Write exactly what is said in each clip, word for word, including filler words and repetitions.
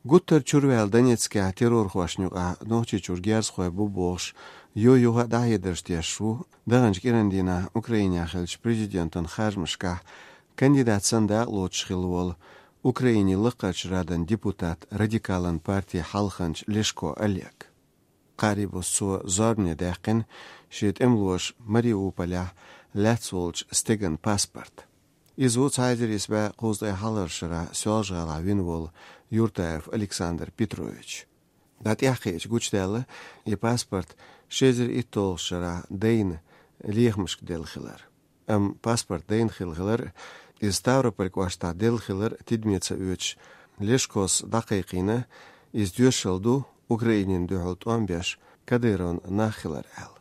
Гуттар чурваьлла Донецкехь террорхошна юкъахь Нохчийчуьра герзахой бу бохуш, юй-юха а дӀахьедарш деш ву, даханчу кӀиран дийнахь Украинехь хиллачу президентан харжамашкахь кандидат санна дакъалоцуш хилла волу Украинин Лакхарчу Радан депутат, радикалан партин хьалханча Лешко Олег. Кхаарий буса цо зорбане даьккхина шен тӀемалоша Мариуполехь лаьцна волчу стеган паспорт. Иза ву цхьа эзар исс бӀе кхузткъе хьалхарчу шарахь Соьлжа-ГӀалахь вина волу Юртаев Александр Петрович. ДӀа тӀаьхьакхиъча гучудаьлла, и паспорт ши эзар итталгӀачу шарахь дайна лехамашка делла хилар. Амма паспорт дайна хилла хилар, иза Ставрополь кӀоштахь делла хилар тидаме ца оьцуш, Лешкос дӀакхайкхийна, иза тоьшалла ду Украинина дуьхьал тӀом беш Кадыровн нах хилар аьлла.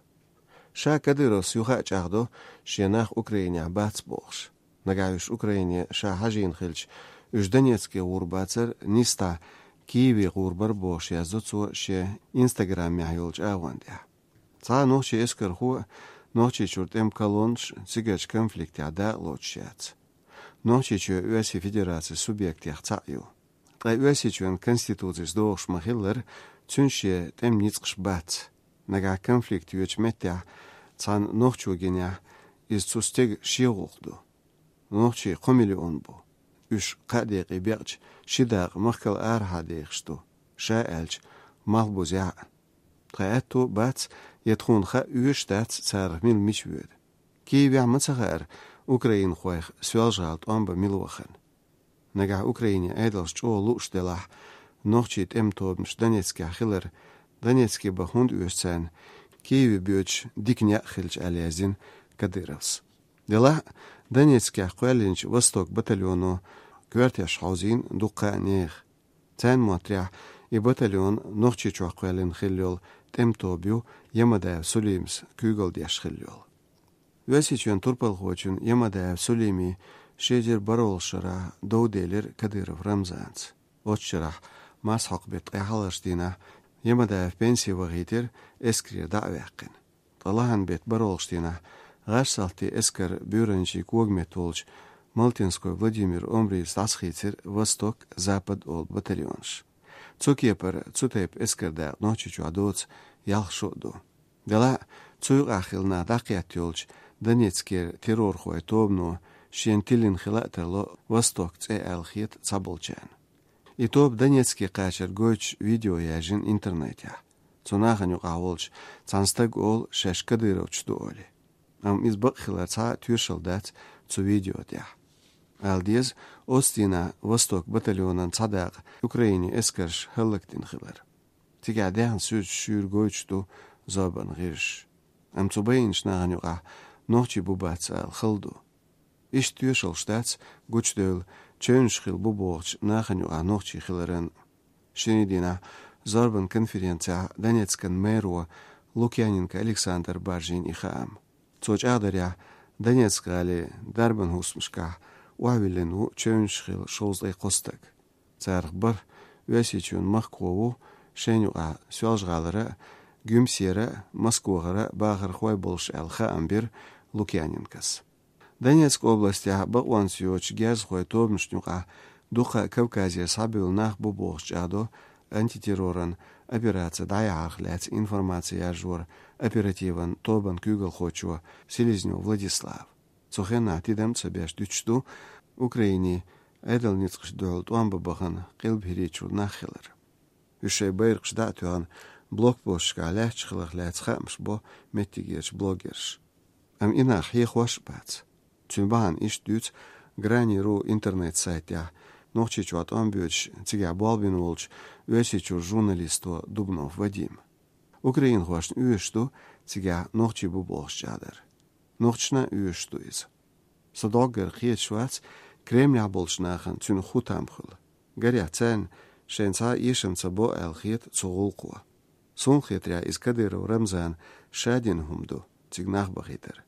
Ша Кадыровс юха а чӀагӀдо, шен нах Украинехь бац бохуш. Нагахь уьш Украине ша хьажийна хилча, уьш Донецке гӀур бацара, нисдӀа Киеве гӀур бара бохуш, яздо цо шен Instagram-ехь йолчу агӀон тӀехь. Цхьа а нохчийн эскархо а, Нохчийчуьра тӀеман колоннаш а цигарчу конфликтехь дакъалоцуш яц. Нохчийчоь Оьрсийн Федерацин субъектех цхьаъ ю. Ткъа Оьрсийчоьнан Конституцис догӀуш ма-хиллара, цуьнан шен тӀеман ницкъаш бац. Нагахь конфликт йоьдучу меттехь цхьана нохчо гинехь, иза цу стеган шен гӀуллакх ду. Нохчий кхо миллион бу. Уьш кхаа декъе бекъча, ши дакъа махкал арахьа дехаш ду, ша аьлча, малхбузехь а. Тхан аьтто а бац, я тхуна хаа оьшуш дац, царах мила мича воьду. Киевехь ма ца хаьара украинхойх Соьлжа-ГӀала тӀом бан мила вахана. Нагахь Украинин Ӏедалша чӀогӀа лууш делахь, нохчийн тӀеман тобанаш Донецкехь хилар, Донецке бан хӀунда оьшу царна, Киеве боьдуш дика некъ хилча, аьлла яздина Кадыровс. Делахь а, Донецкехь кхоьллинчу «Восток» батальоно коьртеш хьовзийна дуккха а нехан. Царна моттарехь, и батальон Нохчийчохь кхоьллина хилла йолу тӀеман тоба ю, Ямадаев Сулимас куьйгалла деш хилла йолу. Оьрсийчоьнан турпалхочун Ямадаев Сулимин ши эзар бархӀалгӀачу шарахь дов делира Кадыров Рамзанца. Оцу шарахь марсхьокху беттан ткъе хьалхарчу дийнахь Ямадаев пенсе вахийтира, эскарера дӀа а ваьккхина. Ткъа лахьан беттан бархӀалгӀачу дийнахь гӀаш-салтийн эскаран буьйранчин когаметта волчу Малтинской Владимир омрийца дӀасахийцира «Восток», «Запад» олу батальонаш. Цу кепара цу тайпа эскаран дакъа Нохчийчохь доцу ялх шо а ду. Делахь а, цу юкъахь хилла нах дӀакхетта йолчу Донецкера террорхойн тобано шена тиллина хила а тарло «Восток» цӀе аьлла хета цхьаболчарна. И тоба Донецке кхачар гойтуш видео яьржина интернетехь. Цу нахана юкъахь волчу цхьана стага олу шаьш кадыровцаш ду олий. Амма иза бакъ хилар цхьа а тоьшалла дац цу видео тӀехь. Ала деза, оцу дийнахь «Восток» батальонан цхьа дакъа Украинин эскарша хӀаллакдина хилар. Цигахь даьхна суьрташ шуьйра гойтуш ду зорбанан гӀирсаша. Амма цу байинчу нахана юкъахь нохчий бу бац ала хала ду. Иштта тоьшаллаш дац, гучудевлла, чевнаш хилла бу бохучу нахана юкъахь нохчий хиларан. Шинарин дийнахь зорбанан конференцехь Донецкан мэро Лукьяненко Александра баржийна и хаам. Цо чӀагӀдарехь, Донецк-гӀалин дарбан хӀусамашкахь охьавиллина ву чевнаш хилла шовзткъе кхо стаг. Царах бархӀ Оьрсийчоьнан махкахой ву, шайна юкъахь Соьлжа-ГӀалара а, Гуьмсера а, Москвахара а бахархой болуш аьлла хаам бира Лукьяненкос. Донецк областехь бакъонца йоцучу герзахойн тобанашна юкъахь дукха Кавказера схьабевлла нах бу бохуш чӀагӀдо антитерроран операци дӀаяхьарх лаьцна информаци яржоран оперативан тобанан куьйгалхочо Селезнёв Владислава. Цу хенахь тидам а ца беш дуьтуш ду Украинин Ӏедалан ницкъашна дуьхьал тӀом бан бахана Къилбахьарийчуьра нах хилар. Уьш шайн байракхаш дӀа а тоьхна, блокпосташкахь лаьтташ хиларх лаьцна хаамаш бо меттигерчу блогерша. Амма и нах хьехош а бац. Цуьнан бахьана иштта дуьйцу Грани ру интернет-сайтехь Нохчийчохь тӀом боьдуш, цигахь болх бина волчу Оьрсийчуьра журналисто Дубнов Вадима. Украинхошна оьшуш ду цигахь нохчий бу бохуш чӀагӀдар. Нохчашна а оьшуш ду иза. Сан доггара кхеташ вац Кремлехь болчу нахана цуьнан хӀун там хуьлу. Гарехь царна шайна цхьа а эшам ца бо аьлла хета цу гӀуллакхо. Суна хетарехь, иза Кадыров Рамзана ша дина хӀума ду, цига нах бахийтар.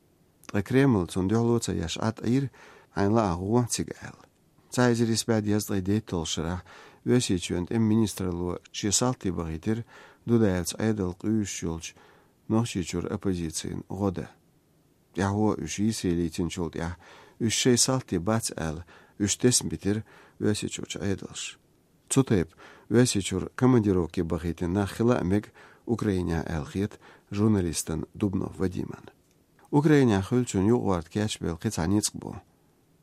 Ткъа Кремль цунна дуьхьало ца еш Ӏад Ӏийра, хьайна лаахь гӀо цига аьлла. Цхьа эзар исс бӀе дезткъе дейтталгӀачу шарахь Оьрсийчоьнан тӀеман министралло шен салти бахийтира Дудаевцан Ӏедал къуьйсуш йолчу Нохчийчуьра оппозицин гӀо дан. ТӀаьхьо уьш йийсаре лийцинчул тӀаьхьа, уьш шайн салти бац аьлла, уьш тесна битира Оьрсийчуьрчу Ӏедалша. Цу тайпа Оьрсийчуьра командировке бахийтина нах хила а мега Украинехь аьлла хета журналистана Дубнов Вадимна. Украинехь хуьлучунна юкъагӀорта кечбелла кхин цхьа ницкъ бу.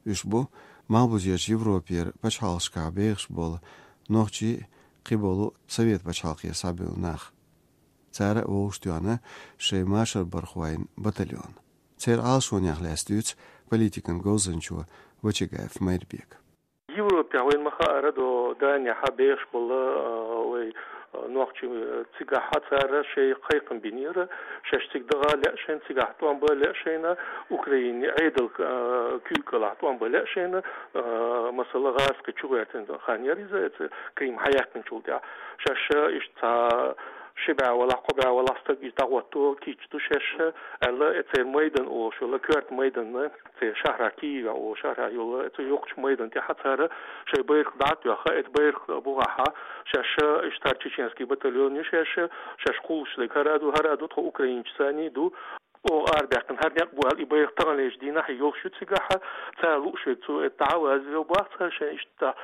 Уьш бу малхбузерчу Европера пачхьалкхашкахь бехаш болу нохчий а, кхиболу Совет пачхьалкхера схьабевлла нах. Цара а вовшахтоьхна шайн машарбархойн батальон. Церан Ӏалашонех лаьцна дуьйцу политикан говзанчо Вачагаев Майрбека. Европехь вайна ма хаара, до Данехьа бехаш болу, а, вай, а, нохчий, а, цигахь цара шайн кхайкхам бинера, шаьш цига даха лаьа шайна, цигахь тӀом бан лаьа шайна, Украинин Ӏедал, а, куьйга кӀелахь тӀом бан лаьа шайна, а, масала, гӀазкхи чугӀертина хан яра иза, эца Крым хьаяьккхинчул тӀаьхьа. Шаьш иштта цхьа ши бӀе валахь, кхо бӀе валахь стаг иза дӀагӀотто кийча ду шаьш, аьлла, э, церан майдан олуш йолу, коьрта майдан, церан шахьарахь Киевехь олу шахьарахь йолу, э, цу йоккхачу майдан тӀехь цара шайн байракх дӀа а тоьхна, эца байракх бухахь, шаьш иштта хӀара чеченский батальон ю шаьш, шаьш кхуллуш дерг хӀара а ду, хӀара а ду, тхо украинчий санна ду, оха арабаьккхина хӀара некъ бу аьлла, и байракх таханлерчу дийнахь йолуш ю цигахь, цара лууш верг цо, э, дӀа а вазвелла боху цара шайн иштта.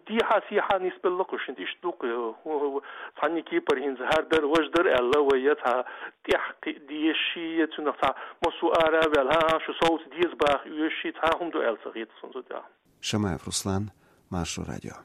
Дехьа-сехьа нисбелла кху шинна, иштта ду-кх, э, цхьанна кепара хӀинца хӀара дара, важа дара аьлла, вай я цхьа тӀехь кхиа дезаш, я цунах цхьа массо а ара а ваьлла, хӀан-хӀа, шу совца деза баха оьшуш, цхьа хӀума ду аьлла ца хета суна цу тӀехь. Шамаев Руслан, Маршо радио.